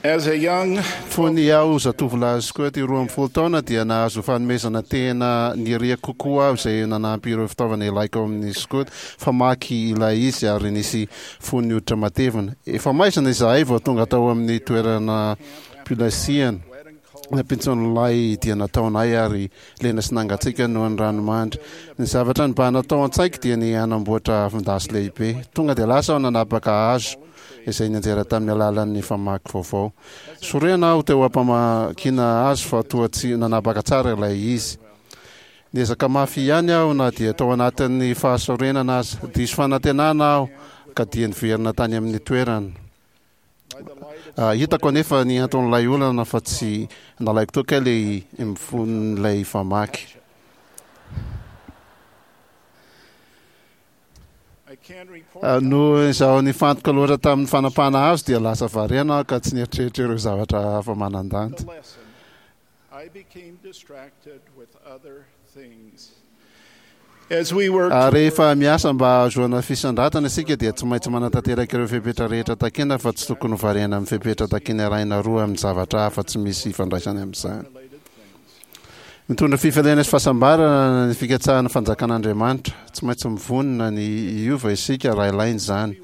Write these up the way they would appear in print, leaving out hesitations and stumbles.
As a young Fony aho zatovolahy skoto 12 taona dia nahazo fanomezana tena niriako kokoa aho izay nanampy ireo fitaovana ilaiko ao amin'ny skoto. Famaky ilay izy ary nisy fonony hoditra matevina. Efa maizina izahay vao tonga tao amin'ny toerana pilasiana. Nampintson'ilay dia nataonay ary lena sy nangatsiaka noho ny ranomandry. Ny zavatra nibahana tao an-tsaiko dia ny hanamboatra afon-dasy lehibe. Tonga dia lasa aho nanapaka hazo izay nianjera tamin'ny alalan'ny famaky vaovao. Sorena aho teo am-pamakiana hazo fa toa tsy nanapaka tsara ilay izy. Niezaka mafy ihany aho na dia tao anatin'ny fahasorenana aza. Diso fanantenana aho ka dia niverina tany amin'ny toerana. Hitako anefa ny anton'ilay olana fa tsy nalaiko teo kay ilay mifon'ilay famaky. Noho izaho nifantoka loatra tamin'ny fanapahana hazo dia lasa variana aho ka tsy nieritreritra ireo zavatra hafa manan-danja. I became distracted with other things. As we work Ary rehefa miasa mba hahazoana fisandratana isika dia tsy maintsy manatanteraka ireo fepetra rehetra takiana fa tsy tokony ho variana amin'ny fepetra takiana iray na roa amin'ny zavatra hafa tsy misy ifandraisany amin'izany. Mitondra fifaliana sy fahasambarana ny fikatsahana ny fanjakan'Andriamanitra. Tsy maintsy mivonona ny hiova isika raha ilaina izany.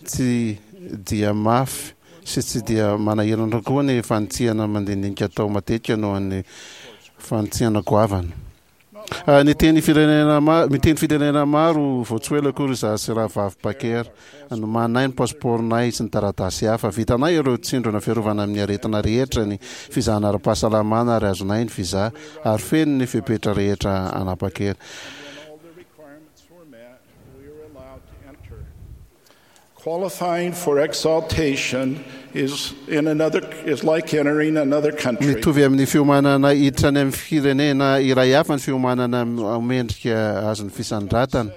Tsy dia mafy sy tsy dia manahirana koa ny fanitsiana mandinindinika atao matetika noho ny fanitsiana goavana. Niteny firenena maro, miteny firenena maro vao tsy ho ela akory izaho sy Rahavavy Baker. Nomaninay ny pasipaoronay sy ny taratasy hafa. Vitanay ireo tsindrona fiarovana amin'ny aretina rehetra, ny fizahana ara-pahasalamana ary azonay ny visa, ary feno ny fepetra rehetra hanapa-kery. Qualifying for exaltation is in another is like entering another country. Mitovy amin'ny fiomanana hiditra any amin'ny firenena iray hafa ny fiomanana ho mendrika azon'ny fisandratana.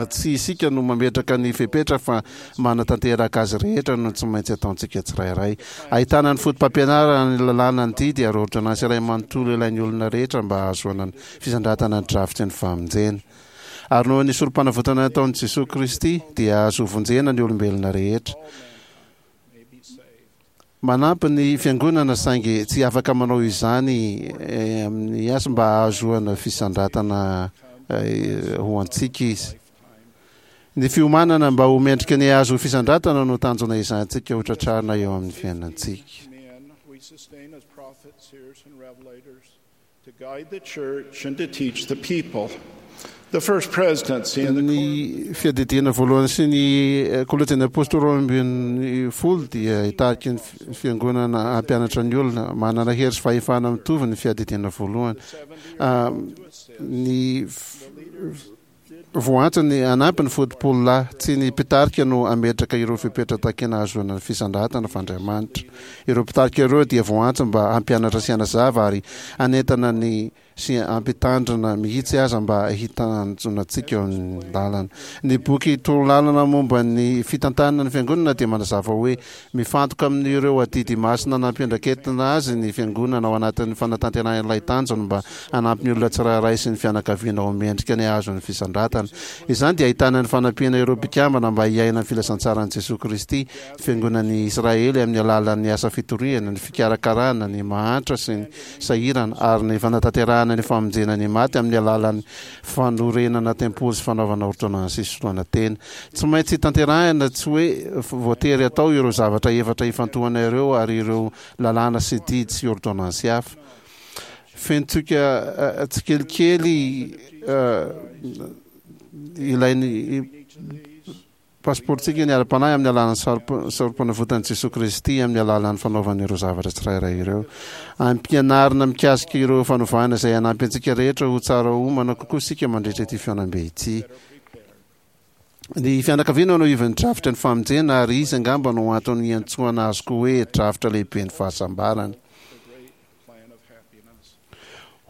Tsy isika no mametraka ny fepetra fa manatanteraka azy rehetra no tsy maintsy ataontsika tsirairay. Ahitana ny fotopampianarana, ny lalàna, ny didy ary ôrdônansy iray manontolo ilain'ny olona rehetra mba hahazoana ny fisandratana ny drafitry ny famonjena. Ary noho ny sorompanavotana nataon'i Jesoa Kristy dia azo vonjena ny olombelona rehetra. Manampy ny Fiangonana saingy tsy afaka manao izany amin'ny asa mba hahazoana fisandratana ho antsika izy. Ny fiomanana mba ho mendrika ny hahazo fisandratana no tanjona ezahantsika ho tratrarina eo amin'ny fiainantsika. To guide the church and to teach the people. The first presidency and the Ny fiadidiana voalohany sy ny kolejin'ny apostoly 12 dia hitarika ny fiangonana hampianatra ny olona. Manana hery sy fahefana mitovy ny fiadidiana voalohany. Ny Voaantso ny hanampy ny fotopolo lahy. Tsy ny mpitarika no hametraka ireo fepetra takiana hahazoana ny fisandratana fa Andriamanitra. Ireo mpitarika ireo dia voaantso mba hampianatra sy hanazava ary hanentana ny sy hampitandrina mihitsy aza mba hitanjona antsika eo amin'ny lalana. Ny boky Torolalana momba ny fitantanana ny Fiangonana dia manazava hoe Mifantoka amin'ireo adidy masina nampiandraiketina azy ny Fiangonana ao anatin'ny fanatanterahana ilay tanjony mba hanampy ny olona tsirairay sy ny fianakaviana ho mendrika ny hahazo ny fisandratana. Izany dia ahitana ny fanampiana ireo mpikambana mba hiaina ny filazantsaran'i Jesoa Kristy, ny Fiangonan'i Israely amin'ny alalan'ny asa fitoriana, ny fikarakarana ny mahantra sy ny sahirana ary ny fanatanterahana ny famonjena ny maty amin'ny alalan'ny fanorenana tempoly sy fanaovana ôrdônansy hisoloana tena. Tsy maintsy tanterahina, tsy hoe voatery atao ireo zavatra efatra ifantohana ireo ary ireo lalàna sy didy sy ôrdônansy hafa. Fenontsika tsikelikely ilain'ny pasipaorontsika ny ara-panahy amin'ny alalan'ny Sorompanavotan'i Jesoa Kristy amin'ny alalan'ny fanaovana ireo zavatra tsirairay ireo. Ampianarina mikasika ireo fanovana izay hanampy antsika rehetra ho tsara omana kokoa isika mandritra ity fihaonambe ity. Ny fianakaviana no ivon'ny drafitra ny famonjena ary izy angamba no antony iantsoana azy koa hoe drafitra lehiben'ny fahasambarana.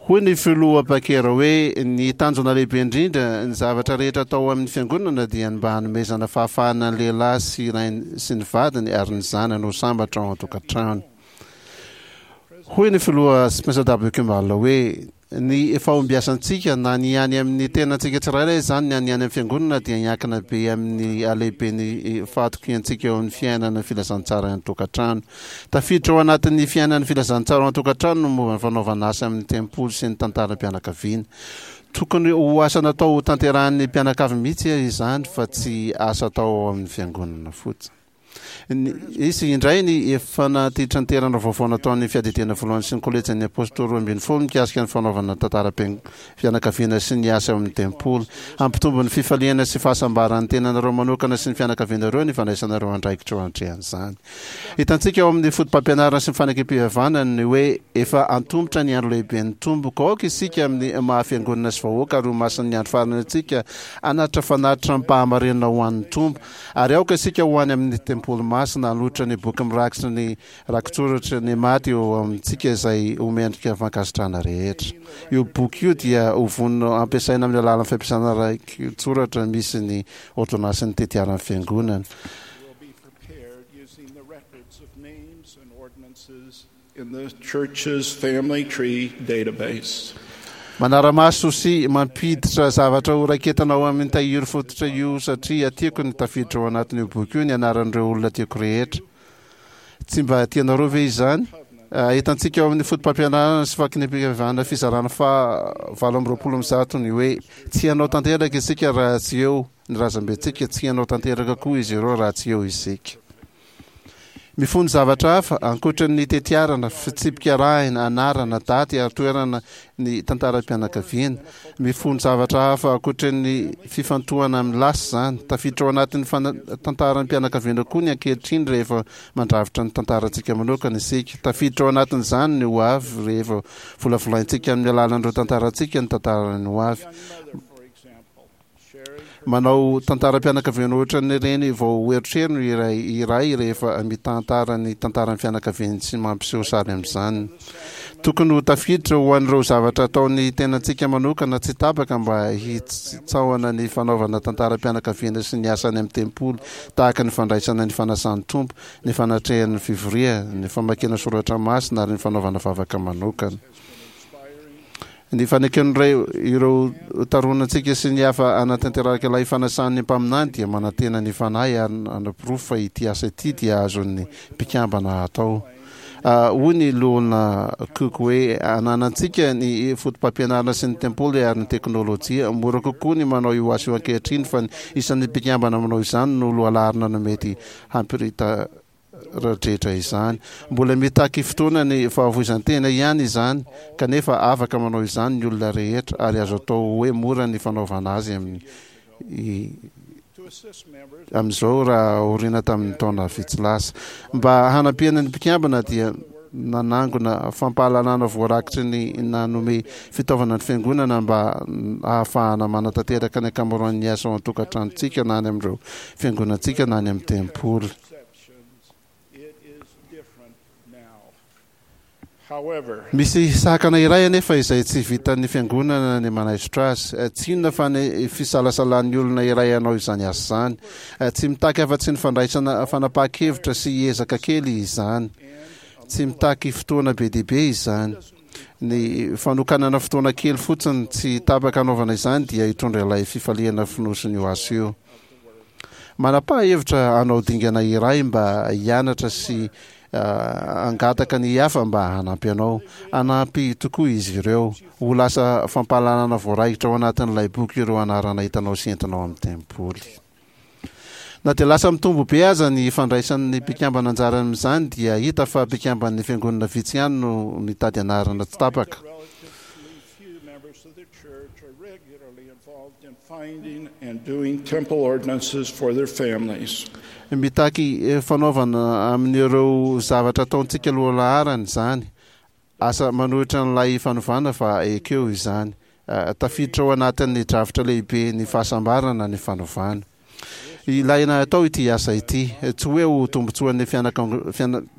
Hoy ny filoha Packer hoe, Ny tanjona lehibe indrindra, ny zavatra rehetra atao amin'ny fiangonana dia ny mba hanomezana fahafahana ny lehilahy sy rainy sy ny vadiny ary ny zanany ho sambatra ao an-tokantrano. Hoy ny filoha Spencer W. Kimball hoe. Ny fahombiazantsika, na ny any amin'ny tenantsika tsirairay izany na ny any amin'ny fiangonana, dia miankina be amin'ny halehiben'ny fahatokiantsika eo amin'ny fiainana ny filazantsara any an-tokantrano. Tafiditra ao anatin'ny fiainan'ny filazantsara ao an-tokantrano ny momba ny fanaovana asa amin'ny tempoly sy ny tantaram-pianakaviana. Tokony ho asa natao hotanterahin'ny mpianakavy mihitsy izany fa tsy asa atao ao amin'ny fiangonana fotsiny. Nisy indray ny fanatitranterana vaovao nataon'ny Fiadidiana Voalohany sy ny Kolejin'ny Apôstôly 12 mikasika ny fanaovana tantaram-pianakaviana sy ny asa ao amin'ny tempoly. Hampitombo ny fifaliana sy fahasambaran'ny tenanareo manokana sy ny fianakavianareo ny fandraisanareo andraikitra eo anatrehan'izany. Hitantsika ao amin'ny fotopampianarana sy ny fanekem-pihavanana ny hoe efa antomotra ny andro lehiben'ny Tompo, ka aoka isika amin'ny maha-fiangonana sy vahoaka ary ho masin'ny andro farany antsika hanatitra fanatitra amim-pahamarinana ho an'ny Tompo. Ary aoka isika ho any amin'ny tempoly masina hanolotra ny boky mirakitra ny rakitsoratry ny maty eo amintsika izay ho mendrika fankasitrahana rehetra. Io boky io dia ho vonona hampiasaina amin'ny alalan'ny fampiasana rakitsoratra misy ny ôrdônansin'ny tetiaran'ny Fiangonana. In the church's family tree database. Manara-maso sy mampiditra zavatra ho raiketana ao amin'ny tahiry fototra io satria tiako ny tafiditra ao anatin'io boky io ny anaran'ireo olona tiako rehetra. Tsy mba tianareo ve izany? Hitantsika ao amin'ny fotopampianarana sy fakinam-pivavahana fizarana faha 128 ny hoe tsy hanao tanteraka isika raha tsy eo ny razambentsika, tsy hanao tanteraka koa izy ireo raha tsy eo isika. Mifono zavatra hafa, ankoatra ny tetiarana, fitsipika arahina, anarana, daty ary toerana ny tantaram-pianakaviana. Mifono zavatra hafa ankoatra ny fifantohana amin'ny lasa izany. Tafiditra ao anatin'ny tantaram-pianakaviana koa ny ankehitriny rehefa mandrafitra ny tantarantsika manokana isika. Tafiditra ao anatin'izany ny ho avy rehefa volavolaintsika amin'ny alalan'ireo tantarantsika ny tantaran'ny ho avy. Manao tantaram-pianakaviana ohatran'ireny vao erotrerony iray iray rehefa mitantara ny tantaran'ny fianakaviany sy mampiseho sary amin'izany. Tokony ho tafiditra ho an'ireo zavatra ataon'ny tenantsika manokana tsy tapaka mba hitsaohana ny fanaovana tantaram-pianakaviana sy ny asa any amin'ny tempoly tahaka ny fandraisana ny fanasan'ny Tompo, ny fanatrehana ny fivoria, ny famakiana soratra masina ary ny fanaovana vavaka manokana. Ny faneken'ireo ireo taronantsika sy ny hafa hanatanteraka ilay fanasan'ny mpaminany dia manantena ny Fanahy ary hanaporofo fa ity asa ity dia azon'ny mpikambana atao. Hoy ny Loholona Cook hoe, Ananantsika ny fotopampianarana sy ny tempoly ary ny teknolojia. Mora kokoa ny manao io asa io ankehitriny fa ny isan'ny mpikambana manao izany no lohalaharana no mety hampirita Radretra izany. Mbola mitaky fotoana ny fahafoizan-tena ihany izany, kanefa afaka manao izany ny olona rehetra, ary azo atao hoe mora ny fanaovana azy amin'ny amin'izao raha aoriana tamin'ny taona vitsy lasa. Mba hanampiana ny mpikambana dia nanangona fampahalalana voarakitry ny nanome fitaovana ny fiangonana mba hahafahana manatanteraka ny ankamaroan'ny asa ao an-tokantranontsika na any amin'ireo fiangonantsika na any amin'ny tempoly. Misy sakana iray anefa izay tsy vitan'ny fiangonana ny manaisotra azy. Tsy inona fa ny fisalasalan'ny olona iray hanao izany asa izany. Tsy mitaky afa-tsy ny fandraisana fanapahan-kevitra sy ezaka kely izany. Tsy mitaky fotoana be dia be izany. Ny fanokanana fotoana kely fotsiny tsy tapaka hanaovana izany dia hitondra ilay fifaliana fonosin'io asa io. Manapaha hevitra hanao dingana iray mba hianatra sy hangataka ny hafa mba hanampy anao. Hanampy tokoa izy ireo. Ho lasa fampahalalana voaraikitra ao anatin'ilay boky ireo anarana hitanao sy entinao amin'ny tempoly. Na dia lasa mitombo be aza ny fandraisan'ny mpikambana anjara amin'izany dia hita fa mpikamban'ny fiangonana vitsy ihany no mitady anarana tsy tapaka. Mitaky fanaovana amin'ireo zavatra ataontsika lohalaharana izany. Asa manohitra an'ilay fanovana fa ekeo izany. Tafiditra ao anatin'ny drafitra lehibe ny fahasambarana ny fanovana. Ilaina atao ity asa ity, tsy hoe ho tombontsoan'ny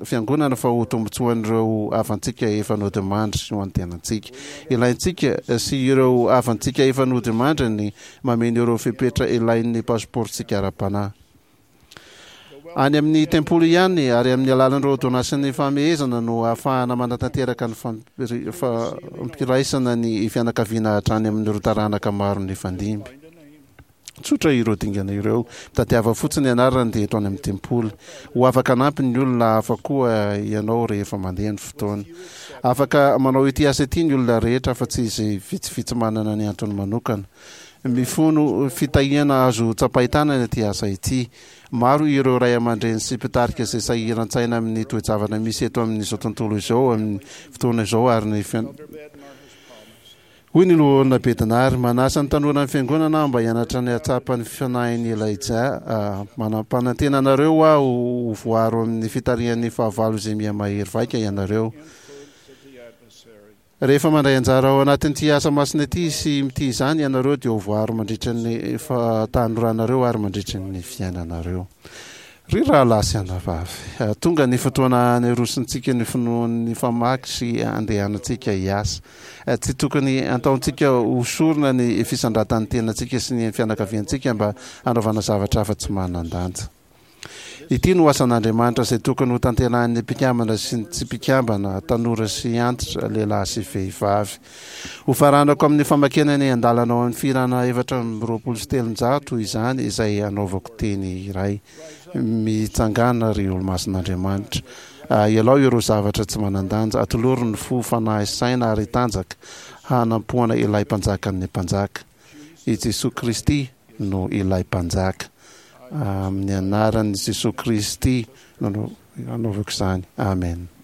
fiangonana fa ho tombontsoan'ireo havantsika efa nodimandry sy ho an'ny tenantsika. Ilaintsika sy ireo havantsika efa nodimandry ny mameno ireo fepetra ilain'ny pasipaorontsika ara-panahy. Any amin'ny tempoly ihany ary amin'ny alalan'ireo ôrdônansin'ny fahamehezana no ahafahana manatanteraka ny fampiraisana ny fianakaviana hatrany amin'ireo taranaka maro nifandimby. Tsotra ireo dingana ireo. Mitadiava fotsiny ny anarany dia eto any amin'ny tempoly. Ho afaka hanampy ny olona hafa koa ianao rehefa mandeha ny fotoana. Afaka manao ity asa ity ny olona rehetra afa-tsy izay vitsivitsy manana ny antony manokana. Mifono fitahiana azo tsapain-tanana ity asa ity. Maro ireo ray aman-dreny sy mpitarika izay sahiran-tsaina amin'ny toe-javatra misy eto amin'izao tontolo izao amin'ny fotoana izao ary ny Hoy ny Loholona Bednar, Manasa ny tanoran'ny Fiangonana aho mba hianatra ny hahatsapa ny fanahin'i Elijah. Manam-panantena anareo aho ho voaro amin'ny fitarihan'ny fahavalo izay miha-mahery vaika ianareo. Rehefa mandray anjara ao anatin'ity asa masina ity sy mitia izany ianareo dia ho voaro mandritra ny fahatanoranareo ary mandritra ny fiainanareo. Ry rahalahy sy anabavy, tonga ny fotoana hanerosintsika ny finoan'ny famaky sy handehanantsika hiasa. Tsy tokony hataontsika ho sorona ny fisandratan'ny tenantsika sy ny fianakaviantsika mba hanaovana zavatra hafa tsy manan-danja. Ity no asan'Andriamanitra izay tokony hotanterahin'ny mpikambana sy ny tsy mpikambana, tanora sy antitra, lehilahy sy vehivavy. Hofaranako amin'ny famakiana ny andalana ao amin'ny Fihirana 324 izany izay hanaovako teny iray. Mitsangàna, ry olo-masin'Andriamanitra. Ialao ireo zavatra tsy manan-danja. Atolory ny fo, fanahy, saina ary tanjaka hanampoana ilay Mpanjakan'ny mpanjaka. I Jesoa Kristy no ilay Mpanjaka. Amin'ny anaran'i Jesoa Kristy no anaovako izany. Amen.